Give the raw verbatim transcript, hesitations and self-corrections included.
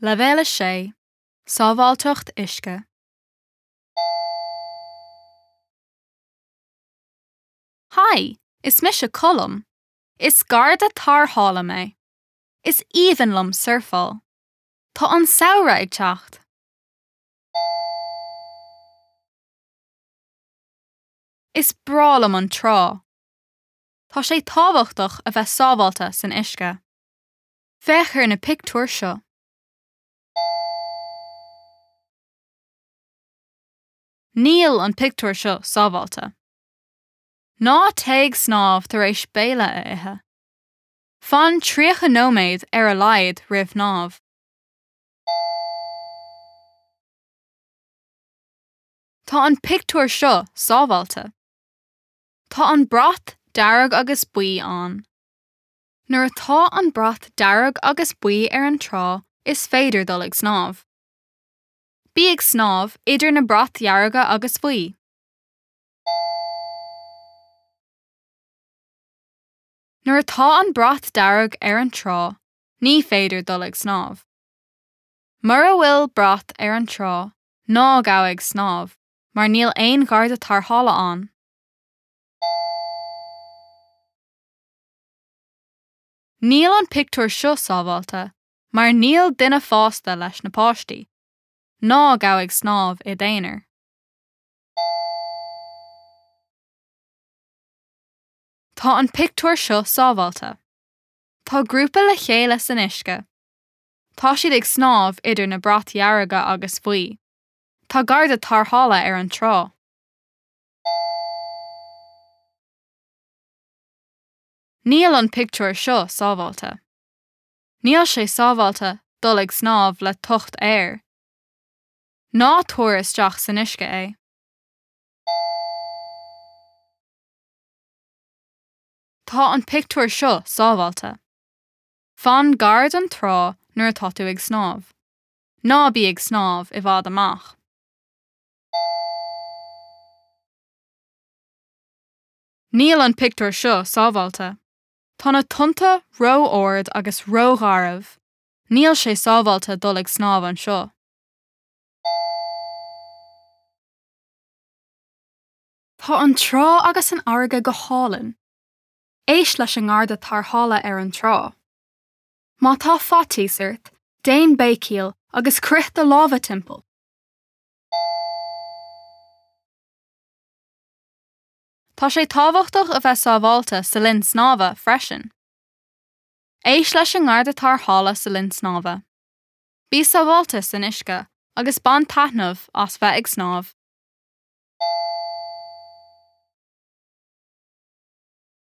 Leibhéal a sé, Sábháilteacht Uisce. Haigh, is mise Colm. Is garda tarrthála mé. Is aoibhinn liom surfáil. Tá an samhradh ag teacht. Is breá liom an trá. Tá sé tábhachtach a bheith sábháilte san uisce. Féach ar na pictiúir seo. Níl an pictiúr seo sábháilte. Ná téigh snámh tar éis béile a ithe. Fan tríocha nóiméad ar a laghad roimh shnámh. Tá an pictiúr seo sábháilte. Tá an brat dearg agus buí ann. Nuair atá an brat dearg agus buí ar an trá, is féidir dul ag snámh. Bí ag snámh idir na brait dhearga agus bhuí. Nuair atá an brat dearg ar an trá, ní féidir dul ag snámh. Mura bhfuil brat ar an trá, ná gabh ag snámh, mar níl aon gharda tarrthála ann. Níl an pictiúr seo sábháilte, mar níl duine fásta leis na páistí. Ná gabh ag snámh i d'aonar. Tá an pictiúr seo sábháilte. Tá grúpa le chéile san uisce. Tá siad ag snámh idir na brait dhearga agus bhuí. Tá garda tarrthála ar an trá. Níl an pictiúr seo sábháilte. Níl sé sábháilte dul ag snámh le tocht aeir. Ná tabhair isteach san uisce é. Tá an pictiúr seo sábháilte. Fan gar don trá nuair atá tú ag snámh. Ná bí ag snámh i bhfad amach. Níl an pictiúr seo sábháilte. Tá na tonnta ró-ard agus rógharbh. Níl sé sábháilte dul ag snámh anseo. Tá an trá agus an fharraige go hálainn. Éist leis an ngarda tarrthála ar an trá. Má tá faitíos ort, déan béicíl agus croith do lámha timpeall. Tá sé tábhachtach a bheith sábháilte sa linn snámha freisin. Éist leis an ngarda tarrthála sa linn snámha. Bí sábháilte san uisce agus bain taitneamh as bheith ag snámh.